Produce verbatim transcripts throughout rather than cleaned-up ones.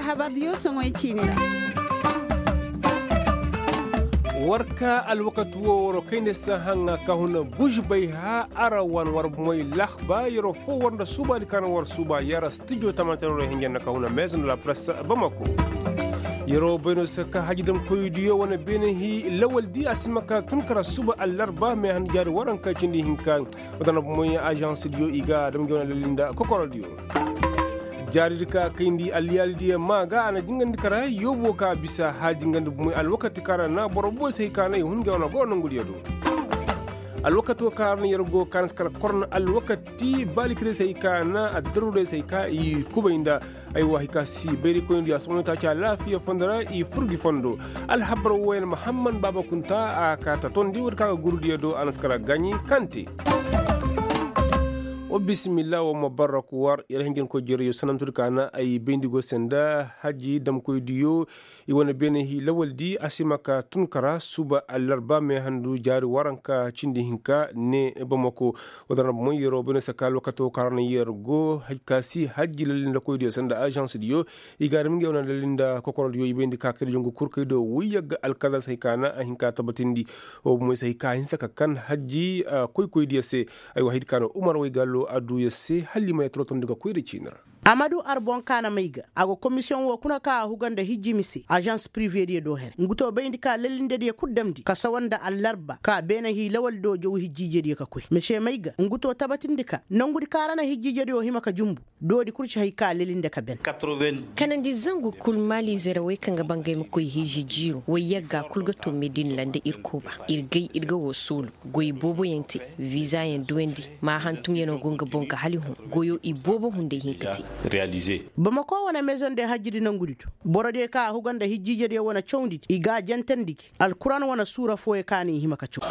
War ka alwakati wo war kayndi sahaŋa ka huna bužbay ha ara wan war bomoy lahba yeroo foo war nda suubaadi ka na war suuba yara stijo tamaate no hinja nda ka huna meezo nda la press bamako. Yeroo bay no se ka hajidamkoydiyo wane beene hi lawaldi a si ma ka tun kara suuba allarba mee handu jaari waranka cindi hinka. Wadana bomoy ažansidiyo i ga dam ga wane lalli nda kokorodiyo. Jaaridi ka kayndi alliyaalidiyo maa ga a na jingandi kara yoobo ka bisa haaji ngandi bomoy alwakati ka ra na boro boy se hay ka na i hun ga wane goro nongudiyo do. Alwakati wo ka ra na yer go ka na si kara korna alwakati baalikirey se hay ka na addaruurey se hay ka i kubay nda. Aywa hay ka si bayrikoyndi a somoyta ci alaafiya fondo ra i fur gi fondo. Alhabar wo yer mahamman baaba kunta a ka ta tondi woodi ka ga gurudiyo do a na si kara gaɲi kante. Wa bisimilla wa mubarak war yer hinjankoy jereyo sanamtudi ka na ay bayndi go se nda haji damkoydiyo. I wane beene hi lawaldi a si ma ka tun kara suba allarba mee handu jaari waranka cindi hinka ne bamako. Wadana bomoy yeroo bayno se ka alwakato ka ra na yer go hay ka si haji lallindakoydiyo se nda ažansdiyo. I ga a dam ngey wane lalli nda kokorodiyo i bayndi ka kayda jongu kul kaydo woy yagga alkazar se hay ka na a hin ka tabatindi. Wo bomoy se hay ka a hinsa ka kan hajji koykoydiyo se. Aywa haydi ka no umar woy gallo a du yer se hala i ma yee torotondi ga koy nda ciini ra. Amadu arboŋ ka na may ga a go komisiyoŋ wo kuna ka a huga nda hijji mise ažans privediyo do here ngu to bayndi ka lalindediyo kul damndi ka sawa nda allarba ka beene hii lawal do jow hijjijediyo ka koy mise may ga ngu to tabatindi ka nongudi ka ra na hijjijediyo hima ka jumbu. Doodi kul ci hay ka lelinde ka ben. Kanandi zangu kul maaliize ra wey kaŋ ga bangay ma koy hiiji jiiro wey yagga kul ga to medina ra nda ir kooba. Ir gay ir ga woo soolu goy booboyaŋ te. Viizayaŋ duwandi. Maa hantumyanoo go nga boŋ ga hala i hun goyo i boobo hunday hin ka te. Bamako wane mezonde hajjidi nongudi do. Borodiyo ka a huga nda hijjiijediyo wane cawndi di i ga a jantandi gi. Alkuraan wane suura fooyo ka no i hima ka caw.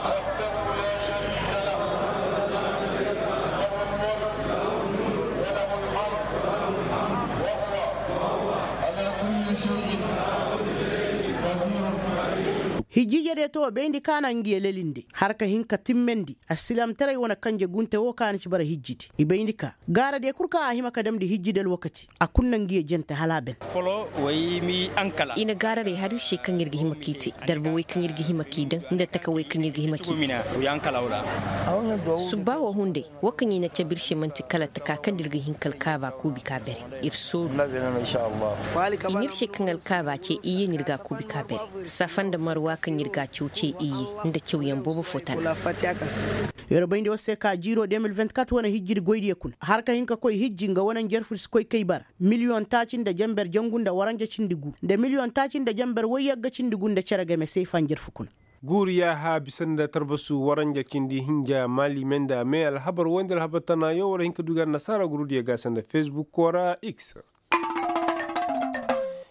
Hijjiijediyo to bayndi ka na ngiyo lelinde har ka hin ka timmandi. Assilaamtaray wane kanje gunte wo ka na ci bara hijjidi i bayndi ka. Gaaradiyo kul kaŋ a hima ka damndi hijjidi alwakati a kul na ngiyo jante hala a ben. I na gaararey har ir se kaŋ ir ga hima k'i te darba wey kaŋ ir ga hima k'i daŋ nda taka wey kaŋ ir ga hima k'i te. Subba wo hunday wo kaŋ i na cabe ir se man'ti kala taka kaŋ nda ir ga hin ka alkaaba kuubi ka bere. Ir sooru i n'ir se kaŋ alkaaba ce iyye n'ir ga a kuubi ka bere. Safa nda marwa kaŋ ir ga a caw ce iyye nda cawyaŋ boobo fo tana. Yer bayndi war se ka jiiro de mil vingt-quatre wane hijjidi goydiyo kuna har ka hin ka koy hijji nga wane njarfu si koy kay bara miliyoŋ taaci nda jenber jangu nda waranja cindi gu nda miliyoŋ taaci nda jenber woyyagga cindi gu nda cere game seefa njarfu kuna. Guuru yaaha bisa nda tarbasu waranja cindi hinja maali me nda me alhabar woy nda alhabar tanaayo war hin ka du ga annasaara gurudiyo ga se nda fesbukko ra x.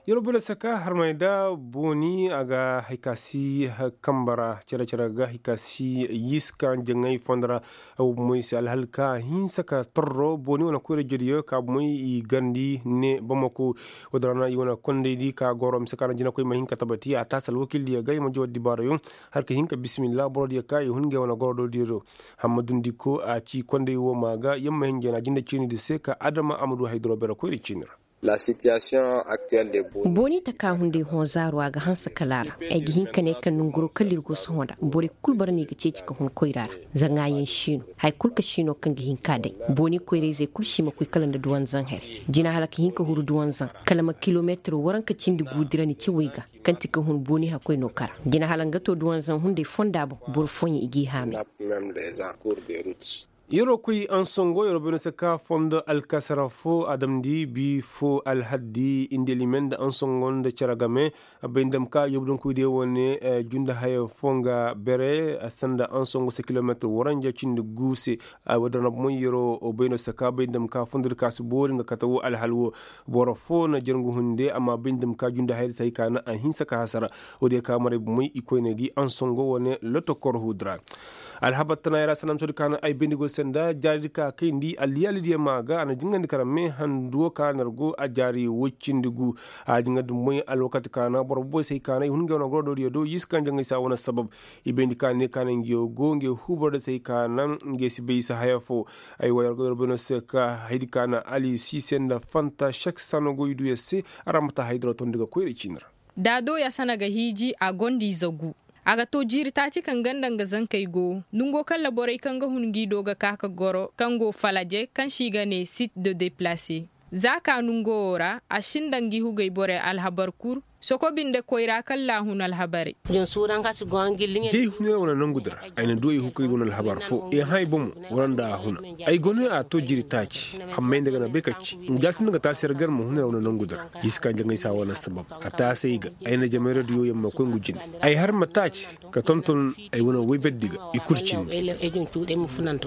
Yar bula saka harmay da booni a ga hay ka si kamba ra cere-cere ga hay ka si yiska jaŋay fondo ra. Moy se alhal ka hinsa ka torro booni wane koyra jediyo ka moy i gandi ne bamako. Wadda rana i wane kondaydi ka goro mise ka na jinakoy ma hin ka tabati a taasi alwakildiyo ga i ma jawar dibaarayo. Har ka hin ka bisimilla borodiyo ka i hun ga i wane goro do diyo do. Hamma dundi ko a ci konday wo ma ga yamma hin jana jinde ciini di se ka adama a ma du haydaro bere koyra ciini ra. Booni taka hunday hõ zaaro a ga hanse kala a ra. Ay ga hin ka ne kaŋ nanguro kala ir go sohõ nda borey kul bara no i ga ceeci ka hun koyra ra. Zaŋaayaŋ siino hari kul ka siino kaŋ ga hin ka day. Booni koyra-izey kul si ma koy kala nda duwanzaŋ here. Jina hala ka hin ka huru duwanzaŋ kala ma kilometiro waranka cindi guudirani cawey ga. Kaŋ ti ka hun booni hakkoy no kara jina hala nga to duwanzaŋ hunday fonda boŋ boro fooyaŋ i g'i haamay. Yeroo koy ansongo yeroo bay no se ka fondo alkasara fo a damndi bi fo alhaddi indelimen nda ansongo nda cere game. Bay nda ma ka yobdonkoydiyo wane junda haya fo nga bere sanda ansongo se kilometir waranja cindi gu se. Wadda na bomoy yeroo bay no se ka bay nda ma ka fondo di ka si boori nga kate wo alhal wo. Boro fo na jarngu hunde amma bay nda ma ka junda hayadi se hay ka na a hinsa ka hasara. Woodiyo ka maray bomoy i koyne gi ansongo wane lotokor hudra. Alhabar tana yara sanamtodi ka na ay bayndi go Sanda jaari di ka kayndi alliyaali diyaŋ ma ga a na jingandi kara mee handu wo ka nar go a jaari woy cindi gu. A jingandi moy alwakati kaana boro boboy se ay kaana i hun ga wane goro do diyo do i si kaŋ jaŋay se a wane sabab. I bayndi ka ne kaana ngiyo go ngiyo huuboro da se ay kaana ngiyo si bay i si haya fo. Ay wa yargo yargo no se ka haydi kaana ali sise nda fanta sek sano go i du ya se. Ara ma ta haydaro tondi ga koyra ciini ra. Da a do ya sana ga hiiji a gonda ize gu. A ga to jiiri taaci kaŋ ganda nga zankey go nongo kaŋ ra borey kaŋ ga hun ngi do ga ka ka goro kaŋ go falaje kaŋ se i ga ne sit de deplace. Za ka nongo wo ra a sinda ngi hugey borey alhabar kul. Soko binde koyra kaŋ ra a hun alhabarey. Jey hunay wane nangu di ra ay na du ay hukey wane alhabar fo i hã ay bomo wala nda a huna. Ay go no a to jiiri taaci. Amma ay nda ga na bay ka ci nga jaati nda ga taasi yar gar ma huna yar wane nangu di ra. I si ka jaŋay se a wane sabab a taasi ay ga. Ay na jamayra diyo yar ma koy ngu jine. Ay har ma taaci ka tonton ay wane woy berdi ga i kul cindi.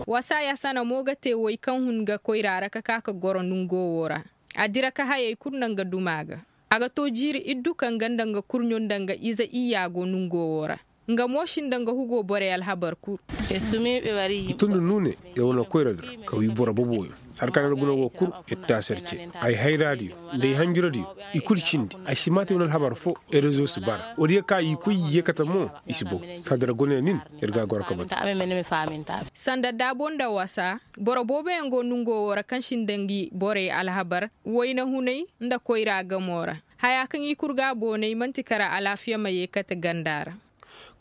Wasa ya sana mo ga te woy kaŋ hun ga koyra ra ka ka ka goro nongo wo ra. A dira ka hayey kul nda nga duma ga. A ga to jiiri iddu kaŋ ganda nga kurɲo nda nga ize iyya go nongo wo ra. Nga mo sinda nga hugo borey alhabar kul. I tun nda nuune, yer wane koyra di ra ka wi boro boboyo. Sarka na yer guna wo kul, yer taasi yer ce. Ay hayraadiyo nda ay hanjuradiyo, i kul cindi. Ay si maati wane alhabar fo, erezo si bara woodiyo ka i koy i yeekate mo. I si bow. Sanda yer guna nin, yer ga a goro ka batu. Sanda daabo nda wasa, boro booboyaŋ go nongo wo ra kaŋ sinda ngi borey alhabar, wayna hunay nda koyra gamo ra. Haya kaŋ i kul ga a boonay man'ti kara alaafiya ma yeekate ganda ra.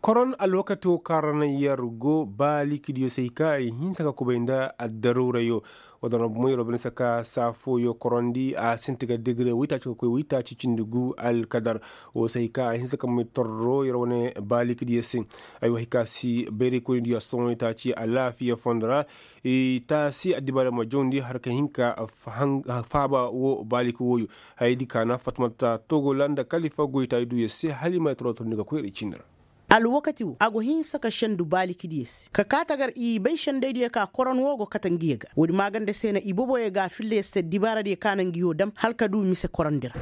Koron alwakati wo kaŋ ra naŋ yer go baalikidiyo se ay ka ay hinsa ka kubay nda addaruurayo. Wa dana bumo yer wo bine se ka saa fooyo korondi a sinti ga degre waytaaci ka koy waytaaci cindi gu alkadar. Wo se ay ka ay hinsa ka may torro yer wane baalikidiyo se. Ay wa hay ka si bayraykoynidiyo a sohõ waytaaci alaafiya fondo ra. I taasi addibaarey ma jawndi har ka hin ka faaba wo baaliki wooyo. Hayadi kaana fatmata togola nda kalifa goytaay duuya se hala i ma ay torotondi ga koyra cindi ra. Alwakati wo a go hinsa ka sendu baalikidiyo se ka kaa tagar i bay sendaydiyo ka koron wo go kate ngiyo ga woodi maaganda se na iboboyo ga a filla yer se te dibaaradiyo ka na ngiyo dam hala ka du mise korondi ra.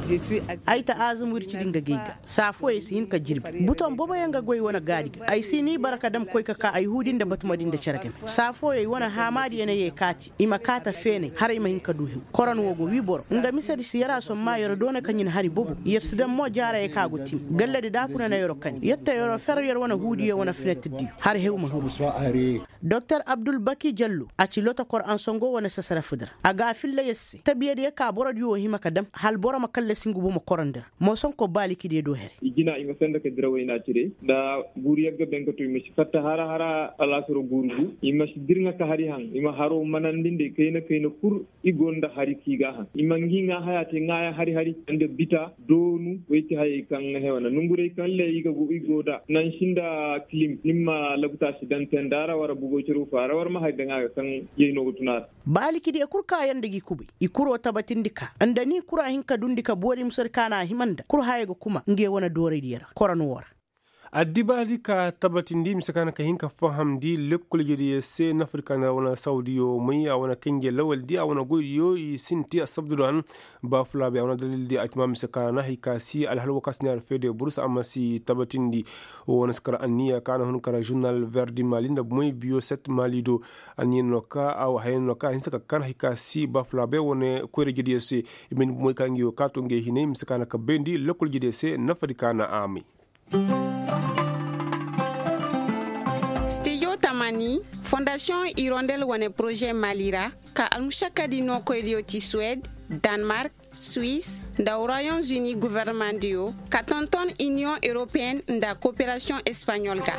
Ay ta aazum wircidi nga ga ay ga saa fooyo ay si hin ka jirbi buton boboyaŋ ga goy wane gaadi ga ay si ni bara ka dam koy ka kaa ay huudi nda batumadi nda cere game. Saa fooyo ay wane haamaadiyo na yee kaati i ma kaa ta feenay haray ma hin ka du hew. Koron wo go wii boro nga misedi si yer a sommaa yer doona ka ɲin hari bobo yer si daŋ mo jaarayey ka go tim galladi daakuna na yer kani yer ta yer fer yer wane huudiyo wane finetirdiyo. Har hew ma hiru. Doktor abdulbaki jallo a ci lotokor ansongo wane sasarafu di ra a ga a filla yer se tabiyadiyo ka borodiyo wo hima ka dam hala boro ma kallasi ngu bomo korondi ra. Moosonko baalikidiyo do here. I jina i ma senda ka dira wayna cire nda guuru yagga ben ka to i ma si fatta hara hara alaasaro guuru gu i ma si dirŋa ka hari haŋ i ma haro manandi nda i kayna kayna kul. I go nda hari kaŋ i ga a haŋ i ma ngi ŋaa haya te ŋaayaŋ hari hari nda bita doonu. Way ti hayey kaŋ hewana nongurey kaŋ le i ga go i go nda nansi nda kilim ni ma labuta si daŋ tenda ra wara bugo ciro faara war ma hari daŋ a ga kaŋ yayno ga tun a ra. Baalikidiyo kul kaayaŋ nda gi kubay i kuro tabatindi ka nda ni kura hin ka dundi ka boori musadi ka na a hima nda kul haya ga kuma nge wane dooraydiyo ra koron wo ra. Addibaadi ka tabatindi mise ka na ka hin ka fahamndi lekkol jediyo se nafadi ka na wane sawdiyo may a wane kanjey lawaldi a wane goydiyo i sinti assabdudu han. Ba fulaabey a wane dalildi a ci ma mise ka na hay ka si alhal wo ka si ne a ra feede burus a ma si tabatindi. Wo wane si kar anniya ka na hun kar žurnal verdi mali nda bumey biyo set mali do. Anniya no ka a wo haya no ka a hinsa ka kan hay ka si ba fulaabey wane koyra jediyo se. I ma hin bumey ka ngi wo ka to ngey hinay mise ka na ka bayndi lekkol jediyo se nafadi ka na a may. Stijo tamani fondasiyoŋ irondel wane poroze mali ra ka almušakkadi nookoydiyo ti suwed, danmark, suis, nda royaume uni governemandiyo ka tonton iniyoŋ europeyen nda koperasiyoŋ espaɲol ga.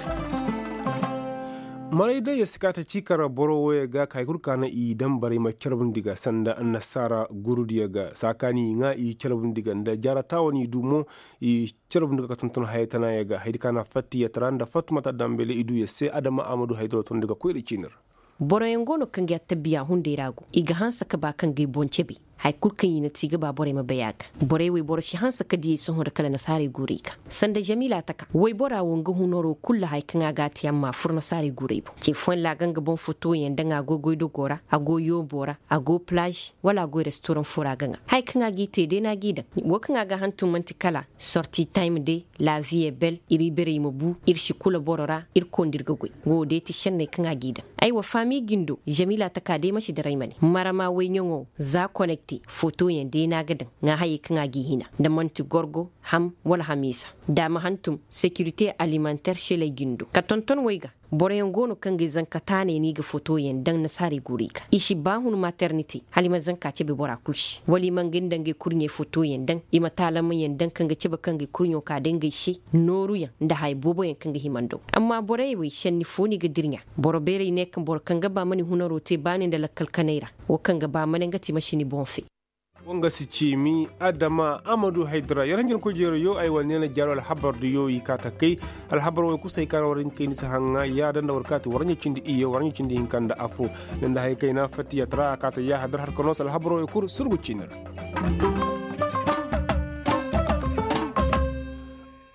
Maray day ya si ka ta ci kara boro wooyo ga ka hari kul ka na i daŋ barey ma carbundi ga sanda annasaara gurudiyo ga saa kaani i ŋaa i carbundi ga nda jaara taawa no i du mo. I carbundi ga ka tonton haya tanaayo ga hayadi ka na fattiyatara nda fattumata dambele i du ya se adama a ma du haydaro tondi ga koyra ciini ra. Boroyaŋ go no kaŋ ga ya tabiya hunday ra go i ga hanse ka ba kaŋ ga ay boŋ cabe. Haya kul kaŋ i na te i ga ba borey ma bay a ga. Borey wey boro si hanse ka diyey sohõ nda kala nasaarey guurey ga. Sanda jamila taka waybora wo nga hunaroo kul ra haya kaŋ a ga a te amma a fur nasaarey guurey boŋ. Ce fooyaŋ ra a ga nga boŋ fotoyaŋ daŋ a go goydogoo ra, a go yooboo ra, a go palaazi, wala a go restoraŋ foo ra a ga ŋaa. Haya kaŋ a g'i te day no a g'i daŋ. Wo kaŋ a ga hantum man'ti kala sorti time day, laaviye bel, ir iberey ma bu, ir si kula boro ra, ir koo nda ir ga goy. Woo day ti šenney kaŋ a g'i daŋ. Aywa faami jindo, jamila taka day ma si daray ma ne marama woy ɲaŋo, za konekte fotoyaŋ day no a ga daŋ, ŋaa hayey kaŋ a g'i hina, nda man'ti gorgo, ham, wala hamiisa. Da a ma hantum, sekirite alimanter šeley jindo ka tonton woy ga. Boroyaŋ go no kaŋ ga i zanka taaney no i ga fotoyaŋ daŋ nasaarey guurey ga i si ba hun maternite, hala i ma zanka cebe bora kul se wala i ma nga nda ngey kurɲey fotoyaŋ daŋ, i ma taalamayaŋ daŋ kaŋ ga cebe kaŋ ga i kurɲo ka day ngey se, nooruyaŋ nda haya booboyaŋ kaŋ ga hima nda wo. Amma borey wey šenni foo no i ga dirɲa. Boro beerey ne kaŋ boro kaŋ ga ba ma ni hunaroo te baani nda lakkal kanay ra, wo kaŋ ga ba ma ne nga ti ma si ni boŋ fe. Woo nga si ciimi adama amadu haydara yar hanjankoy jeerayo ay wane ne na jaaro alhabar diyo i kaa takay. Alhabar woo kul se hay ka na war hin kayndi si haŋa yaada nda war kaati war ɲa cindi iyye war ɲa cindi hinka nda afo. Ne nda hay kayna fatiya tara a kaati yaahadar har ka noo se alhabar woo kul surgu ciini ra.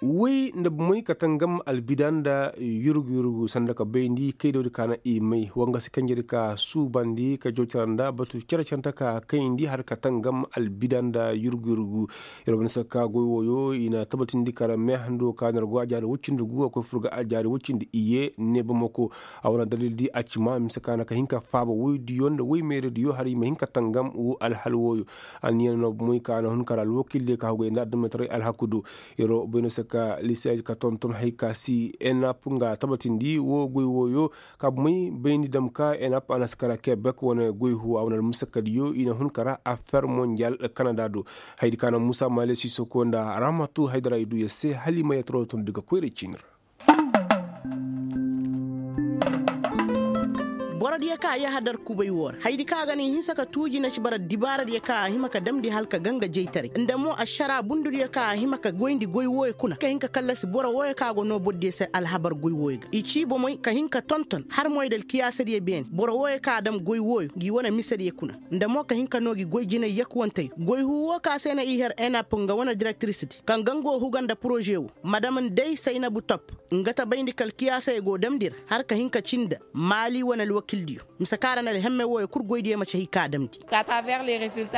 Woy nda bomey ka tangam albida nda yurgu yurgu sanda ka bayndi kaydawdi ka na i may wangasi kanjedi ka suubandi ka jaw cara nda batu care canta ka kayndi har ka tangam albida nda yurgu yurgu. Yer wane sakka goy wooyo i na tabatindi kara meehando ka na yer go ajaari woy cindi gu a koy fur ga ajaari woy cindi iyye ne bomoko. A wane dalildi a cima mise ka na ka hin ka faaba woydiyo nda woy meerediyo har i ma hin ka tangam wo alhal wooyo. Anniya no bomey ka na hun kara alwakildiyo ka haggoy nda adamataray alhaku do. Yeroo bay no se ka lisaaji ka tonton hay ka si enap nga tabatindi woo goy wooyo. Ka bomey bayndi dam ka enap a na si kara kebek wane goy huwa wane almusakkadiyo i na hun kara afer monjal kanada do. Haydi ka na muusa maale sisoko nda rahmatu haydara i du yer se hala i ma yataro tondu ga koyra ciini ra. Borodiyo ka a yahadar kubay woo ra haydi kaŋ a ga na i hinsa ka tuuji na ci bara dibaaradiyo kaŋ a hima ka damndi hala ka ganga jaytaray nda mo ašaraa bundudiyo kaŋ a hima ka goyndi goy wooyo kuna ka hin ka kallasi boro wooyo kaŋ a go noo borodiyo se alhabar goy wooyo ga i cii bomey ka hin ka tonton har moy nda alkiyaasadiyo beene boro wooyo kaŋ a dam goy wooyo ngi wane misediyo kuna nda mo ka hin ka noo gi goy jinay yakuwantey goy huu woo kaŋ se na i har enap nga wane direktirisdi kaŋ ga nga go huga nda poroze woo madam nday saynabu top nga ta bayndi ka alkiyaasey go damndi ra har ka hin ka cin nda maali wane alwakildiyo mise kaŋ ra na alhemme wooyo kul goydiyo ma ci hay ka a damndi.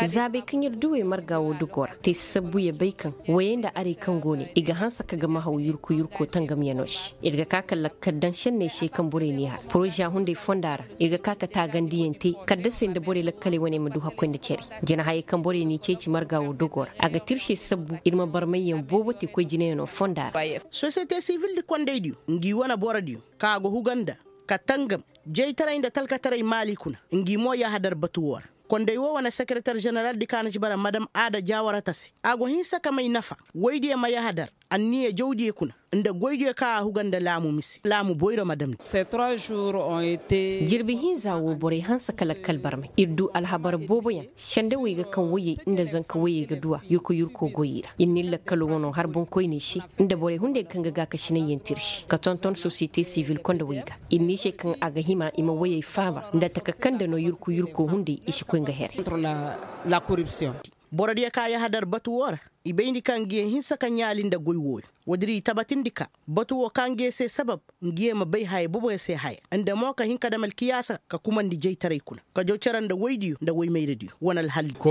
Zaabey kaŋ ir duwey marga woo dogoo ra te sabbu ya bay kaŋ woyey nda arey kaŋ go ne i ga hanse ka gama haw yurku yurko tangamyanoo se ir ga ka ka lakkal daŋ šenney se kaŋ borey n'i har poroza hunday fonda ra ir ga ka ka taagandiyaŋ te kaddasey nda borey lakkaley wane ma du hakkoy nda cere. Jinahayey kaŋ borey n'i ceeci marga woo dogoo ra a ga tirse sabbu ir ma barmayyaŋ boobo te koy jinayanoo fonda ra. Sosiyete sivildi kondaydiyo ngi wane borodiyo kaŋ a go huga nda ka tangam jaytaray nda talkataray maali kuna ngi mo yahadar batu woo ra konday woo wane sekereter ženeraldi kaŋ a na ci bara madam aada jaawarata se a go hinsa ka may nafa woydiyo ma yahadar anniya jawdiyo kuna nda goydiyo kaŋ a huga nda laamu mise laamu boyro ma damndi. Jirbi hinza woo borey hanse ka lakkal barmay ir du alhabar booboyaŋ sendawey ga kaŋ woyey nda zanka woyey ga duw'a yurko yurko goyey ra ir n'ir lakkaloo wanoo har boŋkoyney se nda borey hunday kaŋ ga gaakasinayyaŋ tirsi ka tonton sosiyete sivil kondawey ga ir n'i se kaŋ a ga hima i ma woyey faaba nda taka kaŋ nda no yurku yurko hunday i si koy nga here. Borodiyo kaŋ a yahadar batu woo ra i bayndi kaŋ ngiyaŋ hinsa ka ɲaali nda goy wooyo woodin i tabatindi ka batu woo ka ngiyaŋ se sabab ngiyaŋ ma bay haya boboyaŋ se haya nda mo ka hin ka dam alkiyaasa ka kumandi jaytaray kuna ka jaw cere nda woydiyo nda woymayradiyo wane alhaldiyo.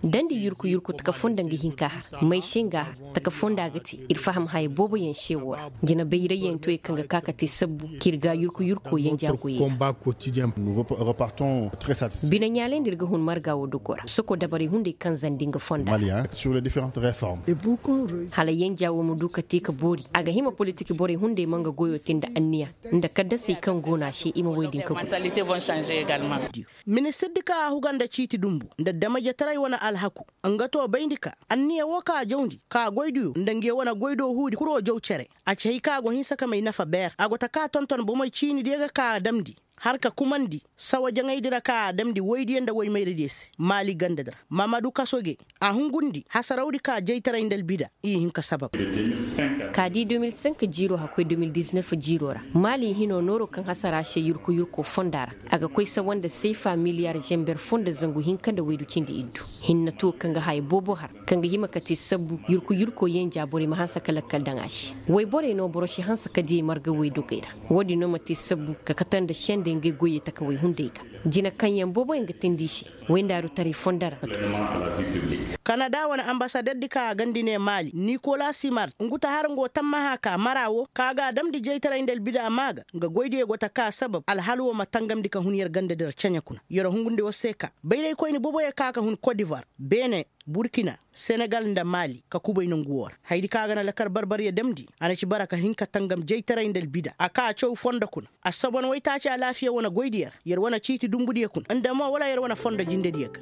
Dandi yurku yurku taka fonda nga hin ka har may se nga har taka fonda ga te ir faham haya booboyaŋ se woo ra jina bayrayyaŋ toyey kaŋ ga ka ka te sabbu k'ir ga yurku yurko yanja goyey ra. Bine ɲaalay nda ir ga hun marga woo dogoo ra soko dabarey hunday kaŋ zandi nga fonda ra. Hala yanja woo ma du ka te ka boori a ga hima politik borey hunday ma nga goyoo te nda anniya nda kaddasey kaŋ go no a se i ma woy din ka goy. Ministirdi kaŋ a huga nda ciiti dumbu nda damajetaray wane alhaku nga too bayndi ka anniya woo kaŋ a jawndi ka goydiyo nda nge wane goydoo huudi kuroo jaw cere a ci hay kaŋ a go hinsa ka may nafa beer a go ta ka tonton bomey ciinidiyo ga ka a damndi. har ka kumandi sawa jaŋaydi ra ka a damndi woydiyo nda woymayradiyo se maali gandadi ra. Mamadu kasoge a hungundi hasarawdi ka jaytaray nda albida i hin ka sabab. Ka di de mil cinq jiiro hakkoy de mil diznef jiiro ra maali hino nooro kaŋ hasara se yurku yurko fonda ra, a ga koy sawa nda seefa miliyar zember fo nda zangu hinka nda waydu cindi iddu. Hinne to kaŋ ga haya boobo har kaŋ ga hima ka te sabbu yurku yurko yenja borey ma hanse ka lakkal daŋ a se. Woy borey no boro si hanse ka diyey marga woy dogey ra. Wo-din no ma te sabbu ka kate nda sendey ngey goyey takawey hunday ga jina kaŋ yaŋ booboyaŋ ga teendi i se. Wayndaaru taray fondo ra. Kanada wane ambasaderdi kaŋ a gandi ne maali nikola simart ngu ta har nga wo tammaha ka mara wo kaŋ a ga a damndi jaytaray nda albida maa ga nga goydiyo go ta ka sabab alhal wo ma tangamndi ka hun yer gandadi ra ceɲe kuna yer hungundi war se ka bayraykoyni booboyaŋ kaŋ a ka hun kodivar beene burkina senegal nda maali ka kubay nongu wo ra hayadi kaŋ a ga na lakar barbariyo damndi a na ci bara ka hin ka tangam jaytaray nda albida a ka a caw fondo kuna. Assobon waytaaci alaafiya wane goydiyo ra yer wane ciiti dumbudiyo kuna nda mo wala yer wane fondo jindediyo ga.